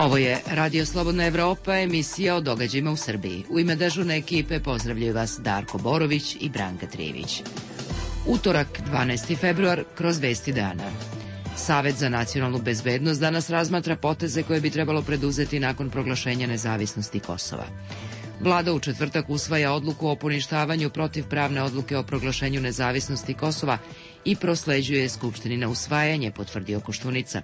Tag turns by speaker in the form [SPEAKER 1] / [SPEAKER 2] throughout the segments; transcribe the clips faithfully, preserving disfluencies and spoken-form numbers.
[SPEAKER 1] Ovo je Radio Slobodna Evropa, emisija o događajima u Srbiji. U ime dežurne ekipe pozdravljaju vas Darko Borović i Branka Trivić. Utorak, dvanaesti februar, kroz vesti dana. Savet za nacionalnu bezbednost danas razmatra poteze koje bi trebalo preduzeti nakon proglašenja nezavisnosti Kosova. Vlada u četvrtak usvaja odluku o poništavanju protivpravne odluke o proglašenju nezavisnosti Kosova i prosleđuje Skupštini na usvajanje, potvrdio Koštunica.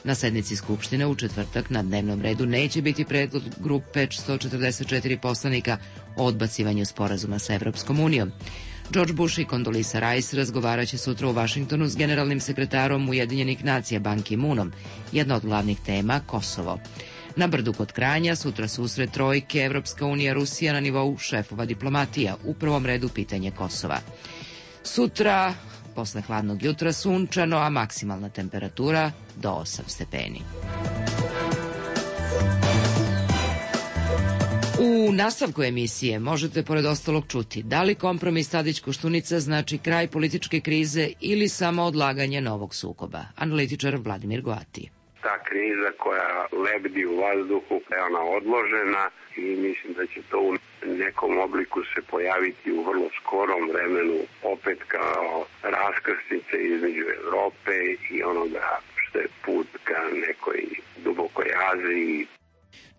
[SPEAKER 1] Na sednici Skupštine u četvrtak na dnevnom redu neće biti predlog grupe sto četrdeset četiri poslanika o odbacivanju sporazuma sa Evropskom unijom. George Bush i Condoleezza Rice razgovaraće sutra u Vašingtonu s generalnim sekretarom Ujedinjenih nacija Ban Ki-moonom. Jedna od glavnih tema Kosovo. Na Brdu kod Kranja sutra susret trojke Evropska unija Rusija na nivou šefova diplomatija, u prvom redu pitanje Kosova. Sutra, posle hladnog jutra, sunčano, a maksimalna temperatura do osam stepeni. U nastavku emisije možete pored ostalog čuti da li kompromis Tadić-Koštunica znači kraj političke krize ili samo odlaganje novog sukoba. Analitičar Vladimir Goati.
[SPEAKER 2] Ta kriza koja lebdi u vazduhu, je ona odložena i mislim da će to u nekom obliku se pojaviti u vrlo skorom vremenu opet kao raskrsnice između Evrope i onoga što je put ka nekoj dubokoj Aziji.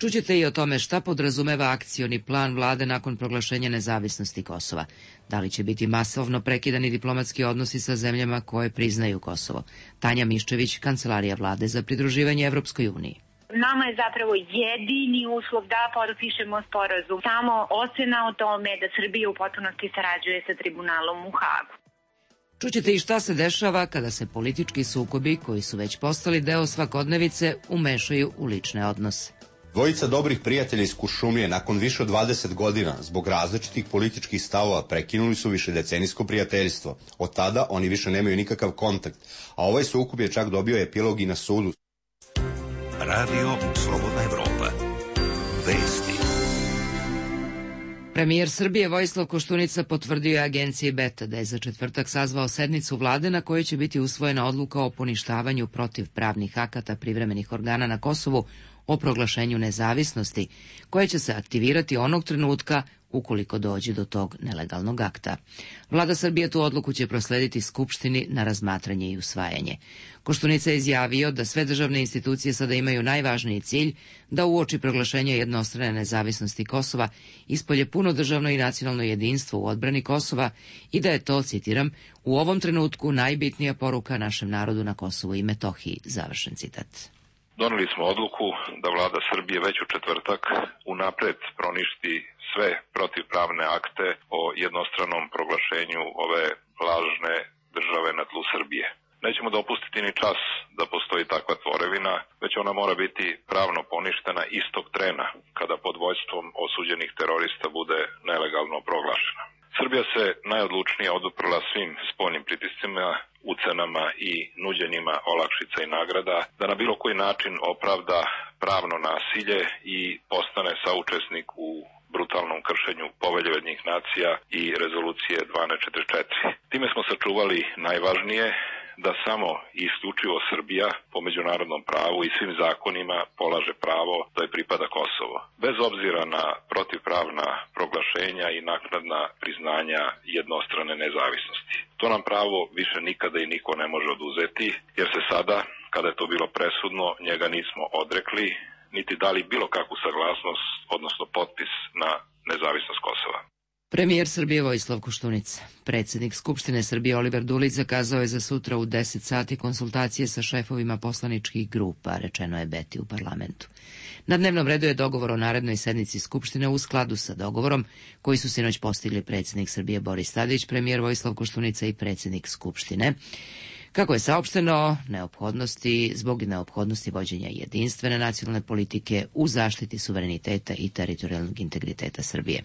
[SPEAKER 1] Čućete i o tome šta podrazumeva akcioni plan vlade nakon proglašenja nezavisnosti Kosova. Da li će biti masovno prekidani diplomatski odnosi sa zemljama koje priznaju Kosovo? Tanja Miščević, Kancelarija vlade za pridruživanje Evropskoj uniji.
[SPEAKER 3] Nama je zapravo jedini uslov da potpišemo sporazum. Samo ocena o tome da Srbija u potpunosti sarađuje sa tribunalom u Hagu.
[SPEAKER 1] Čućete i šta se dešava kada se politički sukobi, koji su već postali deo svakodnevice, umešaju u lične odnose.
[SPEAKER 4] Dvojica dobrih prijatelja iz Kuršumlije nakon više od dvadeset godina zbog različitih političkih stavova prekinuli su višedecenijsko prijateljstvo. Od tada oni više nemaju nikakav kontakt, a ovaj sukob je čak dobio epilog i na sudu.
[SPEAKER 5] Radio Slobodna Evropa. Vesti.
[SPEAKER 1] Premijer Srbije Vojislav Koštunica potvrdio je agenciji Beta da je za četvrtak sazvao sednicu vlade na kojoj će biti usvojena odluka o poništavanju protivpravnih akata privremenih organa na Kosovu o proglašenju nezavisnosti, koje će se aktivirati onog trenutka ukoliko dođe do tog nelegalnog akta. Vlada Srbije tu odluku će proslediti Skupštini na razmatranje i usvajanje. Koštunica je izjavio da sve državne institucije sada imaju najvažniji cilj da uoči proglašenja jednostrane nezavisnosti Kosova ispolje puno državno i nacionalno jedinstvo u odbrani Kosova i da je to, citiram, u ovom trenutku najbitnija poruka našem narodu na Kosovu i Metohiji, završen citat.
[SPEAKER 6] Doneli smo odluku da vlada Srbije već u četvrtak unapred proništi sve protivpravne akte o jednostranom proglašenju ove lažne države na tlu Srbije. Nećemo dopustiti ni čas da postoji takva tvorevina, već ona mora biti pravno poništena istog trena kada pod vođstvom osuđenih terorista bude nelegalno proglašena. Srbija se najodlučnije oduprla svim spoljnim pritiscima, ucenama i nuđenjima olakšica i nagrada, da na bilo koji način opravda pravno nasilje i postane saučesnik u brutalnom kršenju Povelje Ujedinjenih nacija i rezolucije dvanaest četrdeset četiri. Time smo sačuvali najvažnije, da samo i isključivo Srbija po međunarodnom pravu i svim zakonima polaže pravo da je pripada Kosovo, bez obzira na protivpravna proglašenja i naknadna priznanja jednostrane nezavisnosti. To nam pravo više nikada i niko ne može oduzeti, jer se sada, kada je to bilo presudno, njega nismo odrekli, niti dali bilo kakvu saglasnost, odnosno potpis na nezavisnost Kosova.
[SPEAKER 1] Premijer Srbije Vojislav Koštunica. Predsjednik Skupštine Srbije Oliver Dulić zakazao je za sutra u deset sati konsultacije sa šefovima poslaničkih grupa, rečeno je Beti u parlamentu. Na dnevnom redu je dogovor o narednoj sednici Skupštine u skladu sa dogovorom koji su sinoć postigli predsjednik Srbije Boris Tadić, premijer Vojislav Koštunica i predsjednik Skupštine. Kako je saopšteno, neophodnosti, zbog neophodnosti vođenja jedinstvene nacionalne politike u zaštiti suvereniteta i teritorijalnog integriteta Srbije.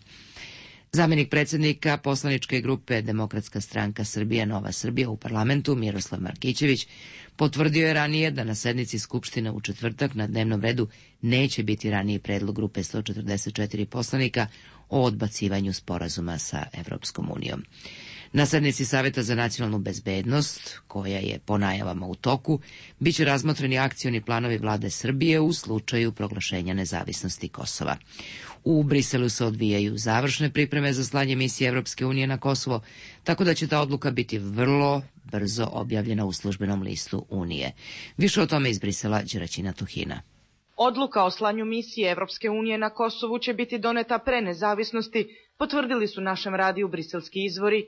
[SPEAKER 1] Zamenik predsjednika poslaničke grupe Demokratska stranka Srbija Nova Srbija u parlamentu Miroslav Markićević potvrdio je ranije da na sednici Skupštine u četvrtak na dnevnom redu neće biti raniji predlog grupe sto četrdeset četiri poslanika o odbacivanju sporazuma sa Evropskom unijom. Na sednici Saveta za nacionalnu bezbednost, koja je po najavama u toku, bit će razmotreni akcioni planovi vlade Srbije u slučaju proglašenja nezavisnosti Kosova. U Briselu se odvijaju završne pripreme za slanje misije Evropske unije na Kosovo, tako da će ta odluka biti vrlo brzo objavljena u službenom listu Unije. Više o tome iz Brisela Đeraćina Tuhina.
[SPEAKER 7] Odluka o slanju misije Evropske unije na Kosovu će biti doneta pre nezavisnosti, potvrdili su našem radiju briselski izvori.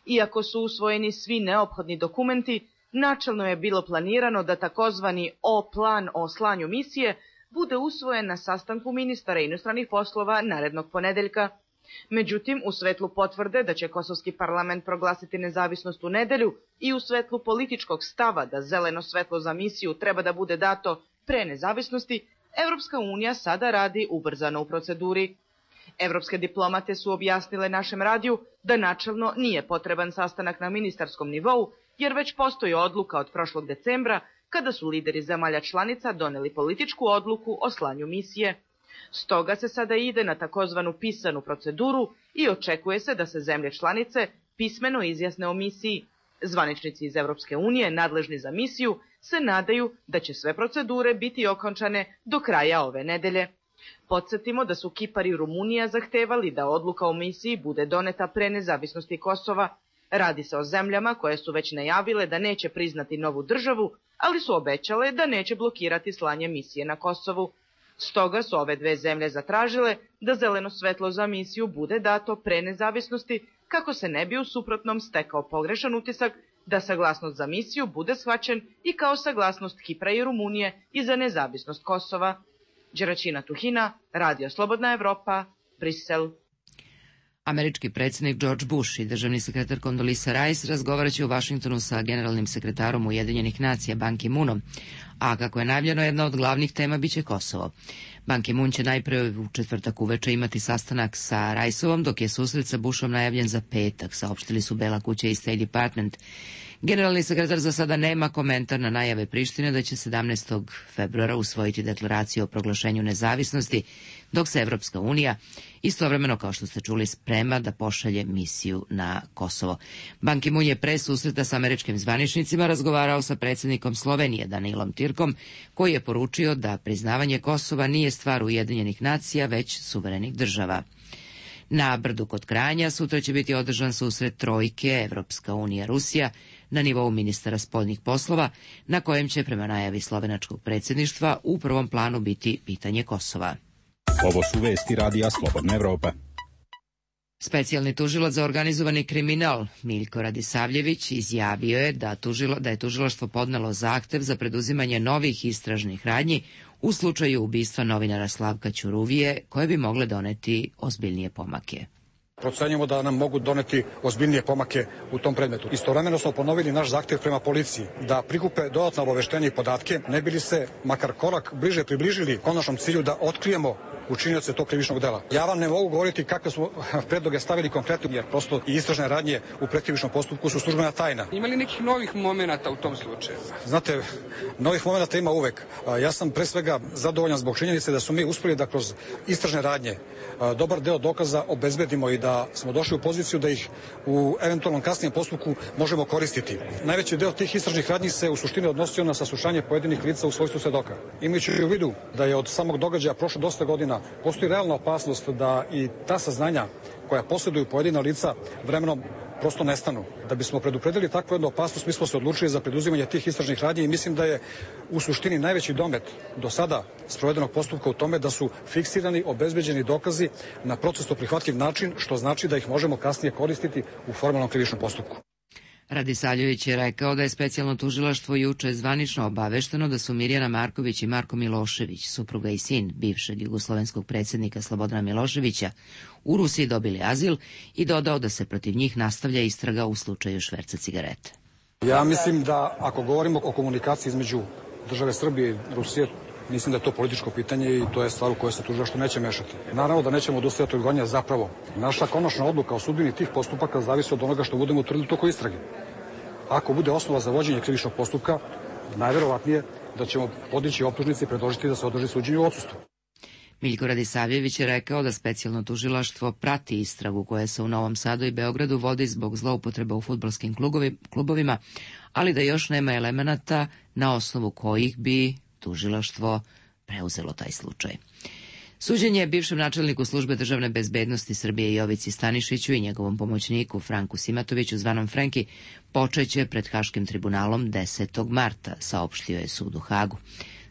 [SPEAKER 7] Iako su usvojeni svi neophodni dokumenti, načelno je bilo planirano da takozvani O-plan o slanju misije bude usvojen na sastanku ministara inostranih poslova narednog ponedeljka. Međutim, u svetlu potvrde da će kosovski parlament proglasiti nezavisnost u nedelju i u svetlu političkog stava da zeleno svetlo za misiju treba da bude dato pre nezavisnosti, Evropska unija sada radi ubrzano u proceduri. Evropske diplomate su objasnile našem radiju da načelno nije potreban sastanak na ministarskom nivou, jer već postoji odluka od prošlog decembra kada su lideri zemalja članica doneli političku odluku o slanju misije. Stoga se sada ide na takozvanu pisanu proceduru i očekuje se da se zemlje članice pismeno izjasne o misiji. Zvaničnici iz Evropske unije, nadležni za misiju, se nadaju da će sve procedure biti okončane do kraja ove nedelje. Podsjetimo da su Kipar i Rumunija zahtevali da odluka o misiji bude doneta pre nezavisnosti Kosova. Radi se o zemljama koje su već najavile da neće priznati novu državu, ali su obećale da neće blokirati slanje misije na Kosovu. Stoga su ove dve zemlje zatražile da zeleno svetlo za misiju bude dato pre nezavisnosti, kako se ne bi u suprotnom stekao pogrešan utisak da saglasnost za misiju bude shvaćen i kao saglasnost Kipra i Rumunije i za nezavisnost Kosova. Đeraćina Tuhina, Radio Slobodna Evropa, Brisel.
[SPEAKER 1] Američki predsjednik George Bush i državni sekretar Condoleezza Rice razgovarat će u Vašingtonu sa generalnim sekretarom Ujedinjenih nacija Ban Ki-moonom, a kako je najavljeno, jedna od glavnih tema biće Kosovo. Ban Ki-moon će najpre u četvrtak uveče imati sastanak sa Riceovom, dok je susret sa Bushom najavljen za petak, saopštili su Bela kuća i State Department. Generalni sekretar za sada nema komentar na najave Prištine da će sedamnaestog februara usvojiti deklaraciju o proglašenju nezavisnosti, dok se Evropska unija istovremeno, kao što ste čuli, sprema da pošalje misiju na Kosovo. Ban Ki-moon je pre susreta sa američkim zvaničnicima razgovarao sa predsjednikom Slovenije Danilom Tirkom, koji je poručio da priznavanje Kosova nije stvar Ujedinjenih nacija, već suverenih država. Na Brdu kod Kranja sutra će biti održan susret trojke Evropska unija Rusija na nivou ministara spoljnih poslova, na kojem će prema najavi slovenačkog predsjedništva u prvom planu biti pitanje Kosova.
[SPEAKER 8] Ovo su vesti Radija Slobodna Evropa.
[SPEAKER 1] Specijalni tužilac za organizovani kriminal Miljko Radisavljević izjavio je da, tužilo, da je tužilaštvo podnelo zahtev za preduzimanje novih istražnih radnji u slučaju ubistva novinara Slavka Ćuruvije, koje bi mogle doneti ozbiljnije pomake.
[SPEAKER 9] Procenjujemo da nam mogu doneti ozbiljnije pomake u tom predmetu. Istovremeno smo ponovili naš zahtev prema policiji da prikupe dodatna obaveštenja i podatke, ne bi li se makar korak bliže približili konačnom cilju da otkrijemo učinioce tog krivičnog dela. Ja vam ne mogu govoriti kakve smo predloge stavili konkretno, jer prosto i istražne radnje u pretkrivičnom postupku su službena tajna.
[SPEAKER 10] Ima li nekih novih momenata u tom slučaju?
[SPEAKER 9] Znate, novih momenata ima uvek. Ja sam pre svega zadovoljan zbog činjenice da smo mi uspeli da kroz istražne radnje dobar deo dokaza obezbedimo i da smo došli u poziciju da ih u eventualnom kasnijem postupku možemo koristiti. Najveći deo tih istražnih radnji se u suštini odnosio na saslušanje pojedinih lica u svojstvu svedoka. Imajući u vidu da je od samog događaja prošlo dosta godina, postoji realna opasnost da i ta saznanja koja posjeduju pojedina lica vremenom prosto nestanu. Da bismo predupredili takvu jednu opasnost, mi smo se odlučili za preduzimanje tih istražnih radnji i mislim da je u suštini najveći domet do sada sprovedenog postupka u tome da su fiksirani, obezbeđeni dokazi na procesno prihvatljiv način, što znači da ih možemo kasnije koristiti u formalnom krivičnom postupku.
[SPEAKER 1] Radisavljević je rekao da je specijalno tužilaštvo juče zvanično obavešteno da su Mirjana Marković i Marko Milošević, supruga i sin bivšeg jugoslovenskog predsjednika Slobodana Miloševića, u Rusiji dobili azil i dodao da se protiv njih nastavlja istraga u slučaju šverca cigarete.
[SPEAKER 9] Ja mislim da ako govorimo o komunikaciji između države Srbije i Rusije, mislim da je to političko pitanje i to je stvar u kojoj se tužilaštvo neće mešati. Naravno da nećemo odustajati od gonjenja, zapravo. Naša konačna odluka o sudbini tih postupaka zavisi od onoga što budemo utvrdili tokom istrage. Ako bude osnova za vođenje krivičnog postupka, najverovatnije da ćemo podići optužnice i predložiti da se održi suđenje u odsustvu.
[SPEAKER 1] Miljko Radisavljević je rekao da specijalno tužilaštvo prati istragu koja se u Novom Sadu i Beogradu vodi zbog zloupotreba u fudbalskim klubovima, ali da još nema elemenata na osnovu kojih bi tužilaštvo preuzelo taj slučaj. Suđenje bivšem načelniku službe državne bezbednosti Srbije Jovici Stanišiću i njegovom pomoćniku Franku Simatoviću zvanom Frenki počeće pred Haškim tribunalom desetog marta, saopštio je sud u Hagu.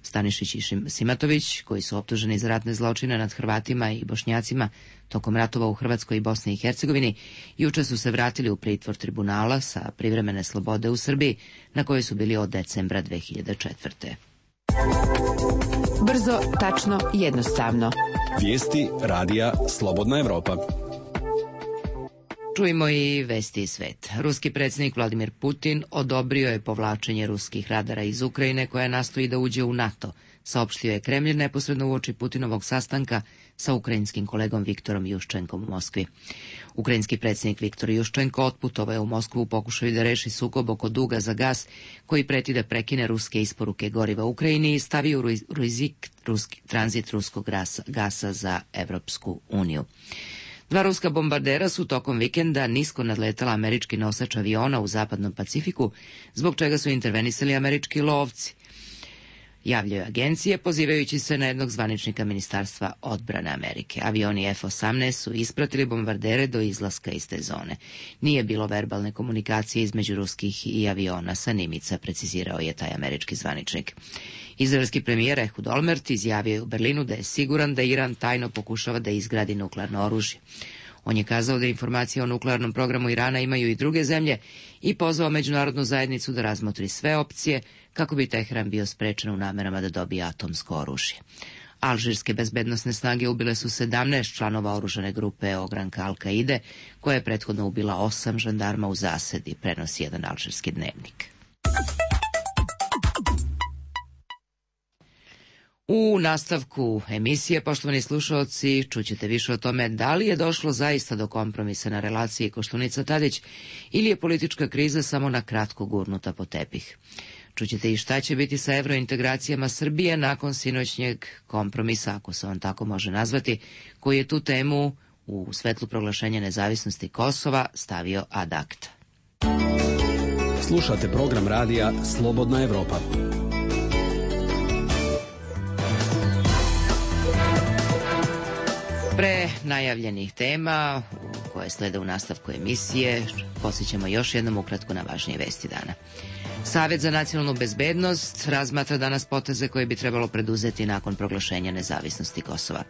[SPEAKER 1] Stanišić i Simatović, koji su optuženi za ratne zločine nad Hrvatima i Bošnjacima tokom ratova u Hrvatskoj i Bosni i Hercegovini, juče su se vratili u pritvor tribunala sa privremene slobode u Srbiji, na kojoj su bili od decembra dve hiljade četvrte.
[SPEAKER 11] Brzo, tačno, jednostavno.
[SPEAKER 8] Vijesti radija Slobodna Evropa.
[SPEAKER 1] Čujmo i vesti iz sveta. Ruski predsjednik Vladimir Putin odobrio je povlačenje ruskih radara iz Ukrajine koja nastoji da uđe u NATO, saopštio je Kremlj neposredno uoči Putinovog sastanka sa ukrajinskim kolegom Viktorom Juščenkom u Moskvi. Ukrajinski predsjednik Viktor Juščenko otputovao je u Moskvu u pokušaju da reši sukob oko duga za gas koji preti da prekine ruske isporuke goriva u Ukrajini i stavi u rizik ruski, tranzit ruskog gasa, gasa za Evropsku uniju. Dva ruska bombardera su tokom vikenda nisko nadletala američki nosač aviona u zapadnom Pacifiku, zbog čega su intervenisali američki lovci, javljaju agencije, pozivajući se na jednog zvaničnika Ministarstva odbrane Amerike. Avioni F osamnaest su ispratili bombardere do izlaska iz te zone. Nije bilo verbalne komunikacije između ruskih i aviona sa Nimica, precizirao je taj američki zvaničnik. Izraelski premijer Ehud Olmert izjavio je u Berlinu da je siguran da Iran tajno pokušava da izgradi nuklearno oružje. On je kazao da informacije o nuklearnom programu Irana imaju i druge zemlje i pozvao međunarodnu zajednicu da razmotri sve opcije kako bi Teheran bio sprečen u namerama da dobije atomsko oružje. Alžirske bezbednosne snage ubile su sedamnaest članova oružane grupe ogranka Al-Kaide, koja je prethodno ubila osam žandarma u zasedi, prenosi jedan alžirski dnevnik. U nastavku emisije, poštovani slušaoci, čućete više o tome da li je došlo zaista do kompromisa na relaciji Koštunica-Tadić ili je politička kriza samo na kratko gurnuta po tepih. Čućete i šta će biti sa evrointegracijama Srbije nakon sinoćnjeg kompromisa, ako se on tako može nazvati, koji je tu temu u svetlu proglašenja nezavisnosti Kosova stavio ad acta.
[SPEAKER 8] Slušate program radija Slobodna Evropa.
[SPEAKER 1] Pre najavljenih tema koje slede u nastavku emisije, posjećamo još jednom ukratko na važnije vesti dana. Savet za nacionalnu bezbednost razmatra danas poteze koje bi trebalo preduzeti nakon proglašenja nezavisnosti Kosova.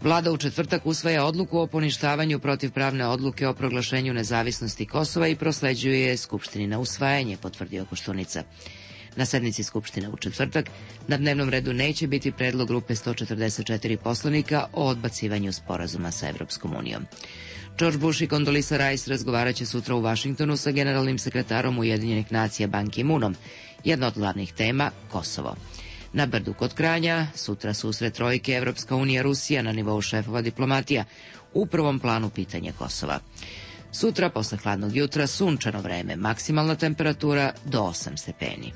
[SPEAKER 1] Vlada u četvrtak usvaja odluku o poništavanju protivpravne odluke o proglašenju nezavisnosti Kosova i prosleđuje je Skupštini na usvajanje, potvrdio Koštunica. Na sednici Skupštine u četvrtak na dnevnom redu neće biti predlog grupe sto četrdeset četiri poslanika o odbacivanju sporazuma sa Evropskom unijom. George Bush i Condoleezza Rice razgovarat će sutra u Vašingtonu sa generalnim sekretarom Ujedinjenih nacija Ban Ki-moonom. Jedna od glavnih tema – Kosovo. Na Brdu kod Kranja sutra susret trojke Evropska unija Rusija na nivou šefova diplomatija, u prvom planu pitanje Kosova. Sutra posle hladnog jutra sunčano vreme, maksimalna temperatura do osam stepeni.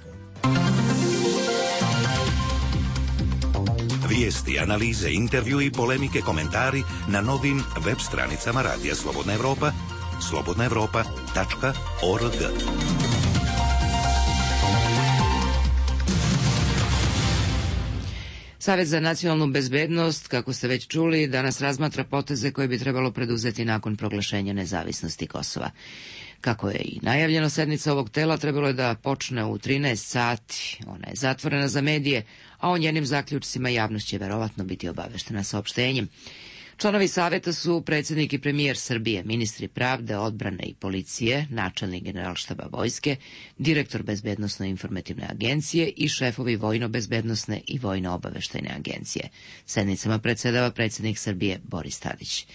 [SPEAKER 5] Vijesti, analize, intervju i polemike, komentari na novim web stranicama Radija Slobodna Evropa, slobodna evropa tačka org.
[SPEAKER 1] Savet za nacionalnu bezbednost, kako ste već čuli, danas razmatra poteze koje bi trebalo preduzeti nakon proglašenja nezavisnosti Kosova. Kako je i najavljeno, sednica ovog tela trebalo je da počne u trinaest sati. Ona je zatvorena za medije, a o njenim zaključcima javnost će verovatno biti obaveštena saopštenjem. Članovi saveta su predsjednik i premijer Srbije, ministri pravde, odbrane i policije, načelnik generalštaba vojske, direktor bezbednosno-informativne agencije i šefovi vojno-bezbednosne i vojno-obaveštajne agencije. Sednicama predsedava predsjednik Srbije Boris Tadić.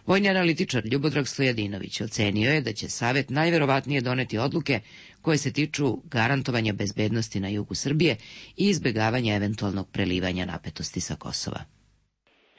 [SPEAKER 1] Vojni analitičar Ljubodrag Stojadinović ocenio je da će savet najverovatnije doneti odluke koje se tiču garantovanja bezbednosti na jugu Srbije i izbjegavanja eventualnog prelivanja napetosti sa Kosova.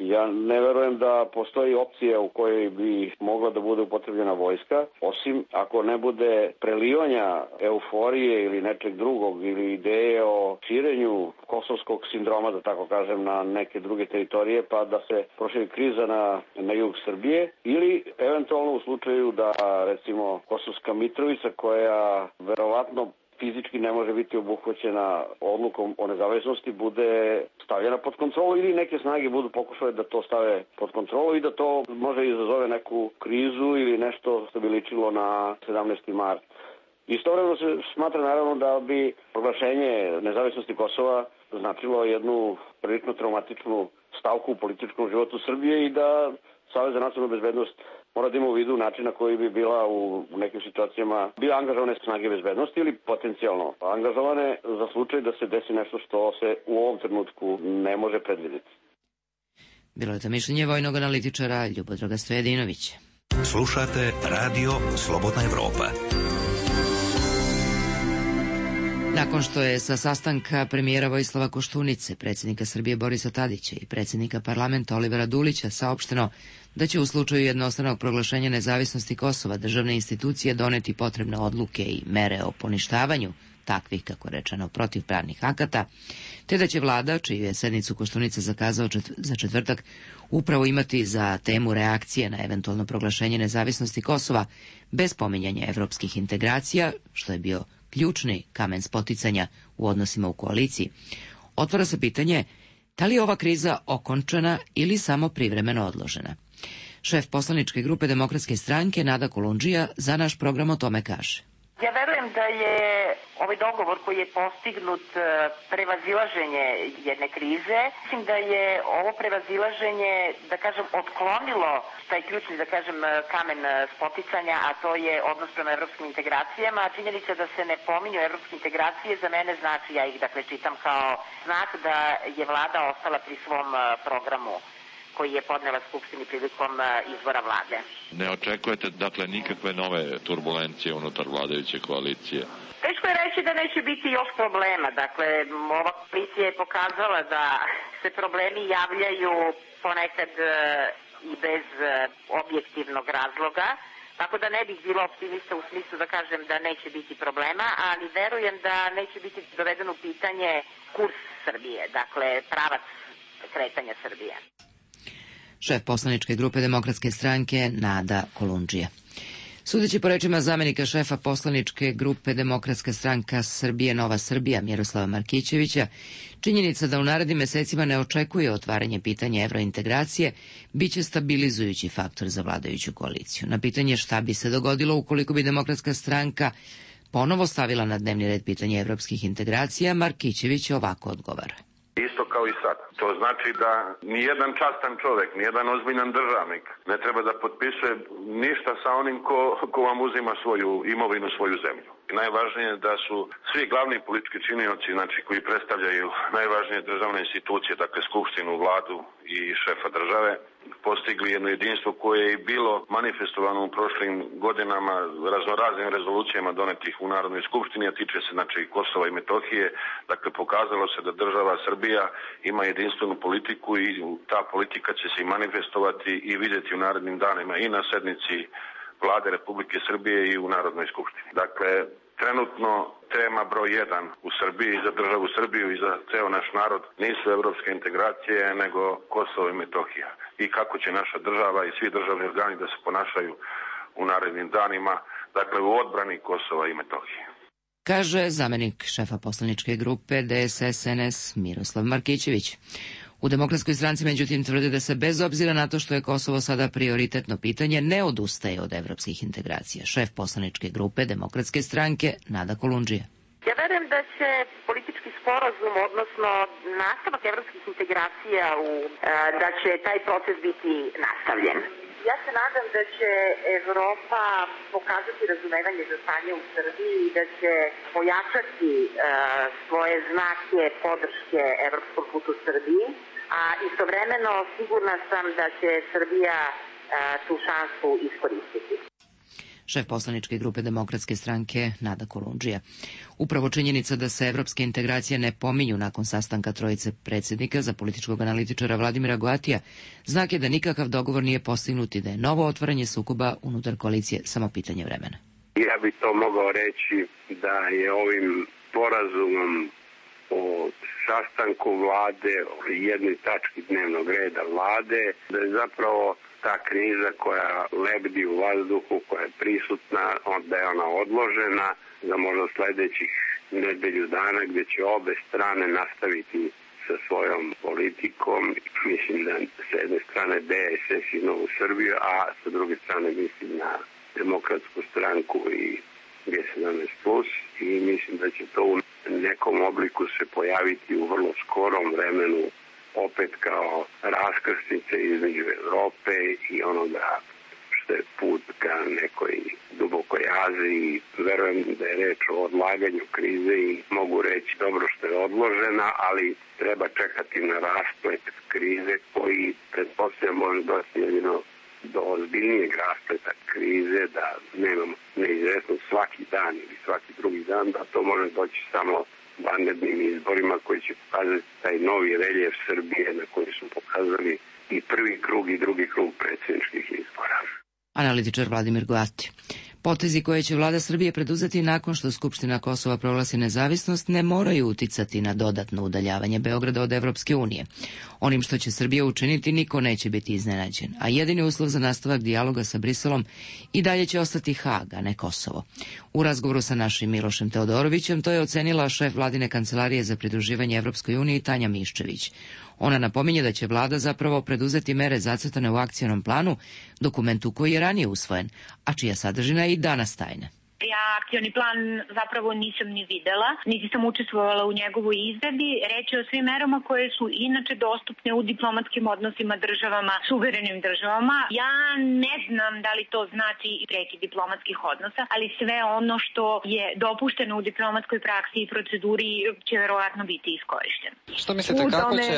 [SPEAKER 12] Ja ne verujem da postoji opcija u kojoj bi mogla da bude upotrebljena vojska, osim ako ne bude prelivanja euforije ili nečeg drugog ili ideje o širenju kosovskog sindroma, da tako kažem, na neke druge teritorije, pa da se proširi kriza na, na jug Srbije, ili eventualno u slučaju da, recimo, Kosovska Mitrovica, koja verovatno fizički ne može biti obuhvaćena odlukom o nezavisnosti, bude stavljena pod kontrolu ili neke snage budu pokušale da to stave pod kontrolu i da to može izazove neku krizu ili nešto što bi ličilo na sedamnaesti mart. Istovremeno se smatra naravno da bi proglašenje nezavisnosti Kosova značilo jednu prilično traumatičnu stavku u političkom životu Srbije i da Savez za nacionalnu bezbednost mora da ima u vidu način na koji bi bila u nekim situacijama bila angažovane snage bezbednosti ili potencijalno angažovane za slučaj da se desi nešto što se u ovom trenutku ne može predvidjeti.
[SPEAKER 1] Bilo je to mišljenje vojnog analitičara Ljubodroga Stojadinovića.
[SPEAKER 5] Slušate Radio Slobodna Evropa.
[SPEAKER 1] Nakon što je sa sastanka premijera Vojislava Koštunice, predsjednika Srbije Borisa Tadića i predsjednika parlamenta Olivera Dulića saopšteno da će u slučaju jednostranog proglašenja nezavisnosti Kosova državne institucije doneti potrebne odluke i mere o poništavanju takvih, kako rečeno, protivpravnih akata, te da će vlada, čiju je sednicu Koštunica zakazao za četvrtak, upravo imati za temu reakcije na eventualno proglašenje nezavisnosti Kosova bez pominjanja evropskih integracija, što je bio ključni kamen spoticanja u odnosima u koaliciji. Otvara se pitanje da li je ova kriza okončana ili samo privremeno odložena. Šef poslaničke grupe Demokratske stranke Nada Kolundžija za naš program o tome kaže.
[SPEAKER 13] Ja verujem da je ovaj dogovor koji je postignut prevazilaženje jedne krize. Mislim da je ovo prevazilaženje, da kažem, otklonilo taj ključni, da kažem, kamen spoticanja, a to je odnos prema evropskim integracijama. Činjenica da se ne pominju evropske integracije za mene znači, ja ih dakle čitam kao znak da je vlada ostala pri svom programu koji je podnela Skupštini prilikom izbora vlade.
[SPEAKER 14] Ne očekujete, dakle, nikakve nove turbulencije unutar vladajuće koalicije?
[SPEAKER 13] Teško je reći da neće biti još problema. Dakle, ova koalicija je pokazala da se problemi javljaju ponekad i bez objektivnog razloga, tako da ne bih bila optimista u smislu da kažem da neće biti problema, ali verujem da neće biti dovedeno u pitanje kurs Srbije, dakle, pravac kretanja Srbije.
[SPEAKER 1] Šef poslaničke grupe Demokratske stranke Nada Kolundžija. Sudeći po rečima zamenika šefa poslaničke grupe Demokratska stranka Srbije Nova Srbija Miroslava Markićevića, činjenica da u narednim mesecima ne očekuje otvaranje pitanja evrointegracije biće stabilizujući faktor za vladajuću koaliciju. Na pitanje šta bi se dogodilo ukoliko bi Demokratska stranka ponovo stavila na dnevni red pitanje evropskih integracija, Markićević ovako odgovara.
[SPEAKER 2] Isto kao i sad. To znači da nijedan častan čovek, nijedan ozbiljan državnik ne treba da potpisuje ništa sa onim ko, ko vam uzima svoju imovinu, svoju zemlju. I najvažnije je da su svi glavni politički činioci, znači koji predstavljaju najvažnije državne institucije, dakle Skupštinu, vladu i šefa države, postigli jedno jedinstvo koje je bilo manifestovano u prošlim godinama raznoraznim rezolucijama donetih u Narodnoj skupštini, a tiče se znači Kosova i Metohije. Dakle, pokazalo se da država Srbija ima jedinstvenu politiku i ta politika će se i manifestovati i vidjeti u narednim danima i na sednici Vlade Republike Srbije i u Narodnoj skupštini. Dakle, trenutno tema broj jedan u Srbiji, za državu Srbiju i za ceo naš narod nisu evropske integracije, nego Kosovo i Metohija. I kako će naša država i svi državni organi da se ponašaju u narednim danima, dakle u odbrani Kosova i Metohije.
[SPEAKER 1] Kaže zamenik šefa poslaničke grupe D S S N S Miroslav Markićević. U Demokratskoj stranci međutim tvrde da se bez obzira na to što je Kosovo sada prioritetno pitanje ne odustaje od evropskih integracija. Šef poslaničke grupe Demokratske stranke Nada Kolundžija.
[SPEAKER 13] Ja verujem da će politički sporazum, odnosno nastavak evropskih integracija, u, da će taj proces biti nastavljen. Ja se nadam da će Evropa pokazati razumevanje za stanje u Srbiji i da će pojačati uh, svoje znake podrške evropskom putu Srbiji, a istovremeno sigurna sam da će Srbija uh, tu šansu iskoristiti.
[SPEAKER 1] šef poslaničke grupe Demokratske stranke Nada Kolundžija. Upravo činjenica da se evropske integracije ne pominju nakon sastanka trojice predsjednika za političkog analitičara Vladimira Goatija, znak je da nikakav dogovor nije postignut i da je novo otvaranje sukoba unutar koalicije samo pitanje vremena.
[SPEAKER 2] Ja bih to mogao reći da je ovim sporazumom o sastanku vlade, o jednoj tački dnevnog reda vlade, da je zapravo ta kriza koja lebdi u vazduhu, koja je prisutna, da je ona odložena za možda sledećih nedelju dana, gde će obe strane nastaviti sa svojom politikom. Mislim da sa jedne strane D S S i Novu Srbiju, a sa druge strane mislim na Demokratsku stranku i G sedamnaest plus, i mislim da će to u nekom obliku se pojaviti u vrlo skorom vremenu opet kao raskrsnica između Evrope i onoga što je put ka nekoj dubokoj Aziji. Verujem da je reč o odlaganju krize i mogu reći dobro što je odložena, ali treba čekati na rasplet krize koji pretpostavljam može doći jedino do ozbiljnijeg raspleta krize, da nemamo neizvesnost svaki dan ili svaki drugi dan, da to može doći samo vanrednim izborima koji će pokazati taj novi reljef Srbije na koji su pokazali i prvi krug i drugi krug predsjedničkih izbora.
[SPEAKER 1] Analitičar Vladimir Goati. Potezi koje će vlada Srbije preduzeti nakon što Skupština Kosova proglasi nezavisnost ne moraju uticati na dodatno udaljavanje Beograda od Evropske unije. Onim što će Srbija učiniti niko neće biti iznenađen, a jedini uslov za nastavak dijaloga sa Briselom i dalje će ostati Hag, a ne Kosovo. U razgovoru sa našim Milošem Teodorovićem to je ocenila šef vladine kancelarije za pridruživanje Evropskoj uniji Tanja Miščević. Ona napominje da će vlada zapravo preduzeti mere zacrtane u akcionom planu, dokumentu koji je ranije usvojen, a čija sadržina je i danas tajna.
[SPEAKER 3] Ja akcioni plan zapravo nisam ni videla, niti sam učestvovala u njegovoj izradi. Reč je o svim merama koje su inače dostupne u diplomatskim odnosima državama, suverenim državama. Ja ne znam da li to znači i prekid diplomatskih odnosa, ali sve ono što je dopušteno u diplomatskoj praksi i proceduri će verovatno biti iskorišteno.
[SPEAKER 15] Što mislite, kako će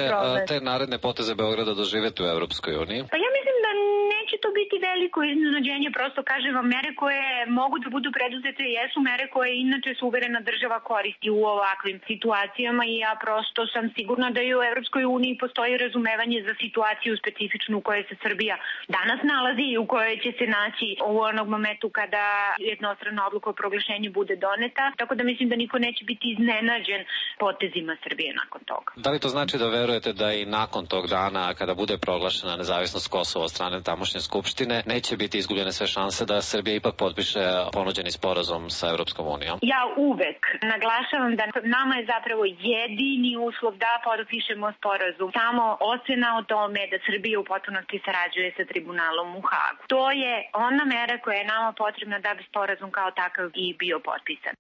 [SPEAKER 15] te naredne poteze Beograda doživjeti u Evropskoj uniji?
[SPEAKER 3] Pa ja mislim da neće to biti veliko iznenađenje, prosto kažem vam, mere koje mogu da budu preduzete jesu mere koje inače suverena država koristi u ovakvim situacijama i ja prosto sam sigurna da i u Evropskoj uniji postoji razumevanje za situaciju specifičnu u kojoj se Srbija danas nalazi i u kojoj će se naći u onog momentu kada jednostrana odluka o proglašenju bude doneta, tako da mislim da niko neće biti iznenađen potezima Srbije nakon toga.
[SPEAKER 15] Da li to znači da verujete da i nakon tog dana, kada bude proglašena nezavisnost Kosova od strane tamošnje skupštine, neće biti izgubljene sve šanse da Srbija ipak potpiše ponuđeni sporazum sa Evropskom unijom?
[SPEAKER 3] Ja uvek naglašavam da nama je zapravo jedini uslov da potpišemo sporazum samo ocena o tome da Srbija u potpunosti sarađuje sa tribunalom u Hagu. To je ona mera koja je nama potrebna da bi sporazum kao takav i bio potpisan,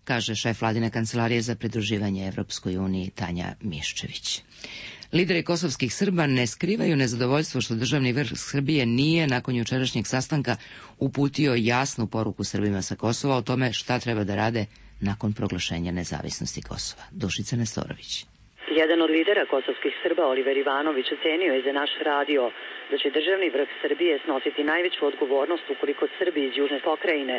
[SPEAKER 1] kaže šef vladine kancelarije za pridruživanje Evropskoj uniji Tanja Miščević. Lideri kosovskih Srba ne skrivaju nezadovoljstvo što državni vrh Srbije nije nakon jučerašnjeg sastanka uputio jasnu poruku Srbima sa Kosova o tome šta treba da rade nakon proglašenja nezavisnosti Kosova. Dušica Nestorović.
[SPEAKER 16] Jedan od lidera kosovskih Srba, Oliver Ivanović, ocenio je za naš radio da će državni vrh Srbije snositi najveću odgovornost ukoliko Srbi iz južne pokrajine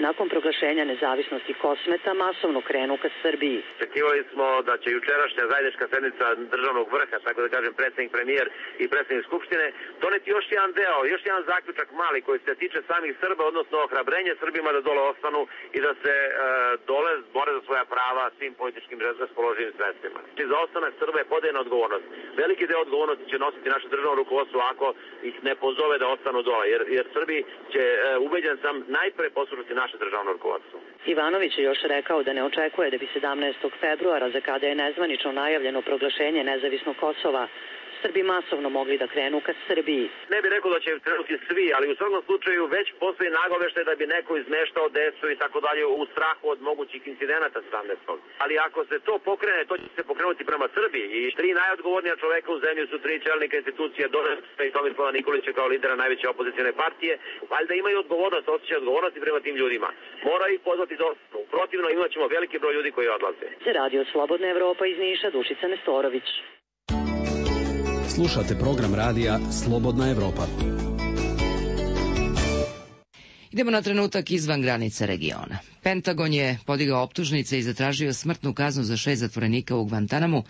[SPEAKER 16] nakon proglašenja nezavisnosti Kosmeta masovno krenu ka Srbiji.
[SPEAKER 17] Očekivali smo da će jučerašnja zajednička sednica državnog vrha, tako da kažem predsjednik premijer i predsjednik Skupštine, doneti još jedan deo, još jedan zaključak mali koji se tiče samih Srba, odnosno ohrabrenje Srbima da dole ostanu i da se e, dole bore za svoja prava svim političkim raspoloživim sredstvima. Za ostanak Srba je podeljena odgovornost. Veliki deo odgovornosti će nositi naše državno rukovodstvo ako ih ne pozove da ostanu dole, jer, jer Srbi će, e, ubeđen sam, najpre poslušati naše državno rukovodstvo.
[SPEAKER 16] Ivanović je još rekao da ne očekuje da bi sedamnaestog februara, za kada je nezvanično najavljeno proglašenje nezavisnog Kosova, Srbi masovno mogli da krenu ka Srbiji.
[SPEAKER 17] Ne bih rekao da će krenuti svi, ali u svakom slučaju već postoji nagoveštaj da bi neko izmeštao decu i tako dalje u strahu od mogućih incidenata sedamnaestog Ali ako se to pokrene, to će se pokrenuti prema Srbiji. I tri najodgovornija čoveka u zemlji su tri čelnika institucije, Doris i Tomislava Nikolića kao lidera najveće opozicione partije. Valjda imaju odgovornost, osjećaju odgovornosti prema tim ljudima. Mora ih pozvati do ostanu. Protivno imat ćemo veliki broj ljudi koji odlaze.
[SPEAKER 16] Za Radio Slobodna Evropa iz Niša, Dušica Nestorović.
[SPEAKER 8] Slušate program radija Slobodna Evropa.
[SPEAKER 1] Idemo na trenutak izvan granice regiona. Pentagon je podigao optužnice i zatražio smrtnu kaznu za šest zatvorenika u Guantanamu,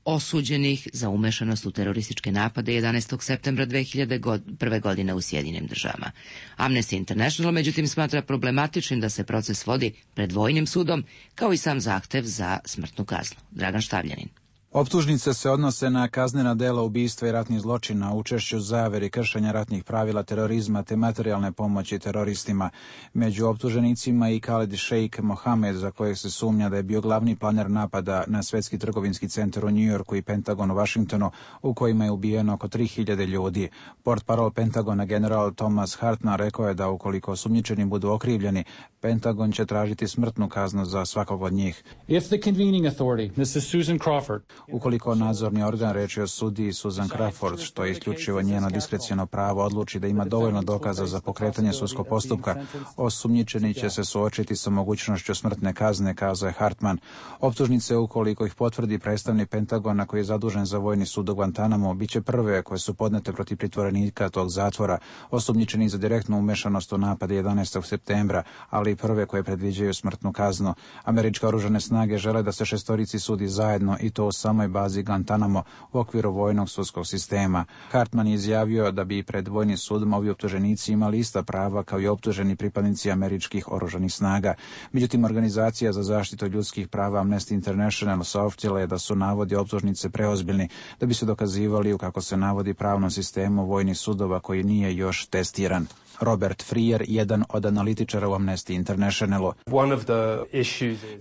[SPEAKER 1] osuđenih za umešanost u terorističke napade jedanaestog septembra dve hiljade prve. godine u Sjedinjenim državama. Amnesty International međutim smatra problematičnim da se proces vodi pred vojnim sudom, kao i sam zahtev za smrtnu kaznu. Dragan Štavljanin.
[SPEAKER 18] Optužnice se odnose na kaznena dela ubistva i ratnih zločina, učešću zaveri, kršenja ratnih pravila, terorizma te materijalne pomoći teroristima. Među optuženicima i Khalid Sheikh Mohamed, za kojeg se sumnja da je bio glavni planer napada na Svetski trgovinski centar u Njujorku i Pentagon u Vašingtonu, u kojima je ubijeno oko tri hiljade ljudi. Portparol Pentagona general Thomas Hartman rekao je da ukoliko osumnjičeni budu okrivljeni, Pentagon će tražiti smrtnu kaznu za svakog od njih.
[SPEAKER 19] If the convening authority, missus Susan Crawford,
[SPEAKER 18] Ukoliko nadzorni organ, reč je o sudiji Susan Crawford, što je isključivo njeno diskreciono pravo, odluči da ima dovoljno dokaza za pokretanje sudskog postupka, osumnjičeni će se suočiti sa mogućnošću smrtne kazne, kazao je Hartman. Optužnice, ukoliko ih potvrdi predstavnik Pentagona koji je zadužen za vojni sud u Guantanamo, bit će prve koje su podnete protiv pritvorenika tog zatvora, osumnjičeni za direktnu umešanost u napade jedanaestog septembra, ali i prve koje predviđaju smrtnu kaznu. Američke oružane snage žele da se šestorici sudi zajedno i to u samoj bazi Guantanamo u okviru vojnog sudskog sistema. Hartman je izjavio da bi pred vojnim sudom ovi optuženici imali ista prava kao i optuženi pripadnici američkih oružanih snaga. Međutim, organizacija za zaštitu ljudskih prava Amnesty International saopštila je da su navodi optužnice preozbiljni da bi se dokazivali u, kako se navodi, pravnom sistemu vojnih sudova koji nije još testiran. Robert Freer, jedan od analitičara u Amnesty Internationalu.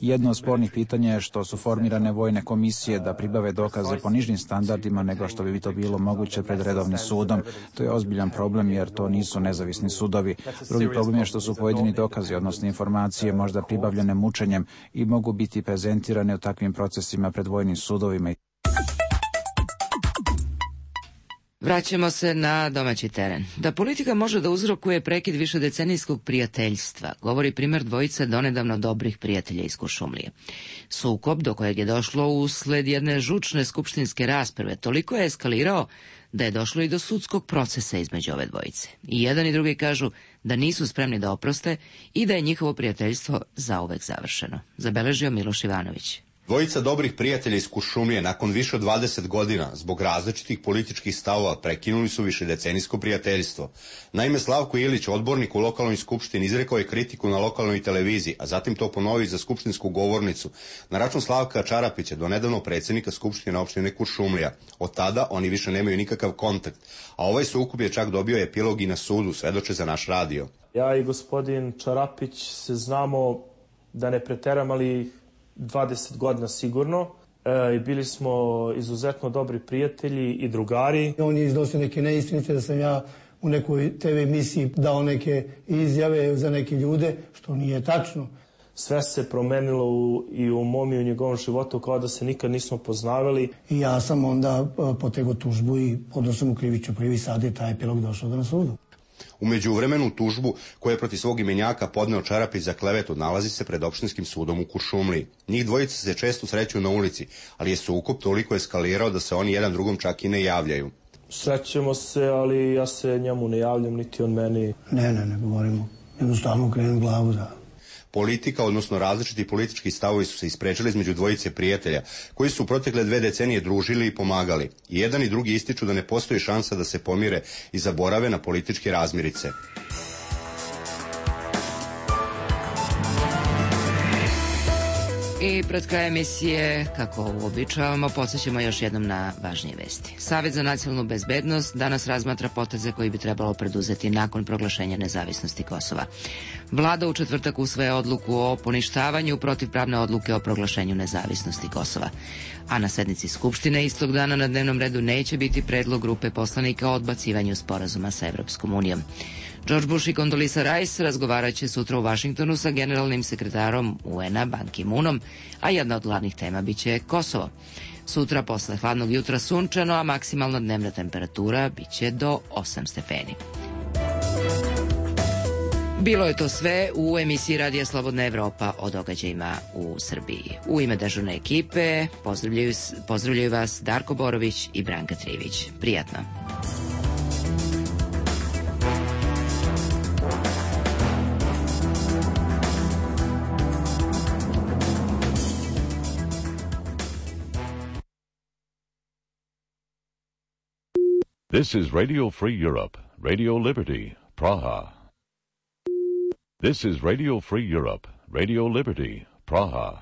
[SPEAKER 18] Jedno od spornih pitanja je što su formirane vojne komisije da pribave dokaze po nižim standardima nego što bi to bilo moguće pred redovnim sudom. To je ozbiljan problem jer to nisu nezavisni sudovi. Drugi problem je što su pojedini dokazi, odnosno informacije, možda pribavljene mučenjem i mogu biti prezentirane u takvim procesima pred vojnim sudovima.
[SPEAKER 1] Vraćamo se na domaći teren. Da politika može da uzrokuje prekid višedecenijskog prijateljstva, govori primjer dvojice donedavno dobrih prijatelja iz Kuršumlije. Sukob do kojeg je došlo usled jedne žučne skupštinske rasprave toliko je eskalirao da je došlo i do sudskog procesa između ove dvojice. I jedan i drugi kažu da nisu spremni da oproste i da je njihovo prijateljstvo zauvek završeno. Zabeležio Miloš Ivanović.
[SPEAKER 4] Dvojica dobrih prijatelja iz Kuršumlije nakon više od dvadeset godina zbog različitih političkih stavova prekinuli su višedecenijsko prijateljstvo. Naime, Slavko Ilić, odbornik u lokalnoj skupštini, izrekao je kritiku na lokalnoj televiziji, a zatim to ponovio za skupštinsku govornicu na račun Slavka Čarapića, donedavno predsjednika skupštine opštine Kuršumlija. Od tada oni više nemaju nikakav kontakt, a ovaj sukob je čak dobio epilog i na sudu, svedoče za naš radio.
[SPEAKER 20] Ja i gospodin Čarapić se znamo, da ne preteram, ali dvadeset godina sigurno, e, i bili smo izuzetno dobri prijatelji i drugari.
[SPEAKER 21] On je iznosio neke neistinite da sam ja u nekoj te ve emisiji dao neke izjave za neke ljude, što nije tačno.
[SPEAKER 20] Sve se promenilo u, i u mom i u njegovom životu kao da se nikad nismo poznavali.
[SPEAKER 21] I ja sam onda potegao tužbu i podao sam u krivičnu prijavu i sad je taj epilog došao do na sudu.
[SPEAKER 4] U međuvremenu tužbu koju je protiv svog imenjaka podneo Čarapić za klevetu nalazi se pred opštinskim sudom u Kuršumliji. Njih dvojica se često sreću na ulici, ali je sukob toliko eskalirao da se oni jedan drugom čak i ne javljaju.
[SPEAKER 20] Srećemo se, ali ja se njemu ne javljam, niti on meni.
[SPEAKER 21] Ne, ne, ne govorimo. Jednostavno krenem glavu, da.
[SPEAKER 4] Politika, odnosno različiti politički stavovi su se isprečili između dvojice prijatelja, koji su u protekle dve decenije družili i pomagali. I jedan i drugi ističu da ne postoji šansa da se pomire i zaborave na političke razmirice.
[SPEAKER 1] I pred krajem emisije, kako uobičavamo, podsjećamo još jednom na važnije vesti. Savet za nacionalnu bezbednost danas razmatra poteze koji bi trebalo preduzeti nakon proglašenja nezavisnosti Kosova. Vlada u četvrtak usvaja odluku o poništavanju protivpravne odluke o proglašenju nezavisnosti Kosova. A na sednici Skupštine istog dana na dnevnom redu neće biti predlog grupe poslanika o odbacivanju sporazuma sa Evropskom unijom. George Bush i Condoleezza Rice razgovarat će sutra u Vašingtonu sa generalnim sekretarom u en a Ban Ki-moonom, a jedna od glavnih tema biće Kosovo. Sutra posle hladnog jutra sunčano, a maksimalna dnevna temperatura biće do osam stepeni. Bilo je to sve u emisiji Radija Slobodna Evropa o događajima u Srbiji. U ime dežurne ekipe pozdravljaju, pozdravljaju vas Darko Borović i Branka Trivić. Prijatno.
[SPEAKER 6] This is Radio Free Europe, Radio Liberty, Praha. This is Radio Free Europe, Radio Liberty, Praha.